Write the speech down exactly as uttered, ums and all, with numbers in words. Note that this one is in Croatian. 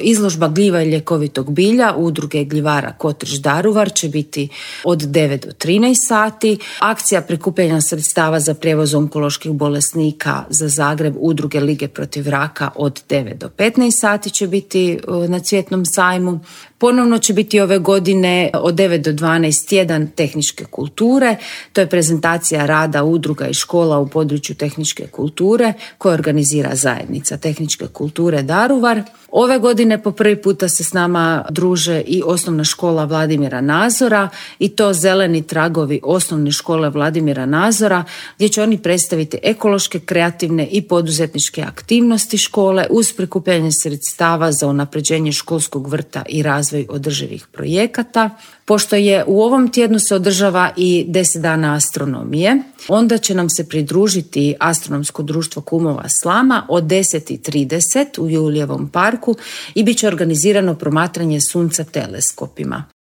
Izložba gljiva i ljekovitog bilja Udruge gljivara Kotriš Daruvar će biti od devet do trinaest sati. Akcija prikupljanja sredstava za prijevoz onkoloških bolesnika za Zagreb Udruge Lige protiv raka od devet do petnaest sati će biti na Cvjetnom sajmu. Ponovno će biti ove godine od devet do dvanaest tjedan tehničke kulture. To je prezentacija rada udruga i škola u području tehničke kulture koje organizira zajednica tehničke kulture Daruvar. Ove godine po prvi puta se s nama druže i osnovna škola Vladimira Nazora i to Zeleni tragovi osnovne škole Vladimira Nazora gdje će oni predstaviti ekološke, kreativne i poduzetničke aktivnosti škole uz prikupljanje sredstava za unapređenje školskog vrta i razvoj održivih projekata. Pošto je u ovom tjednu se održava i deset dana astronomije, onda će nam se pridružiti Astronomsko društvo kumova Slama od deset i trideset u Julijevom parku i bit će organizirano promatranje sunca teleskopima.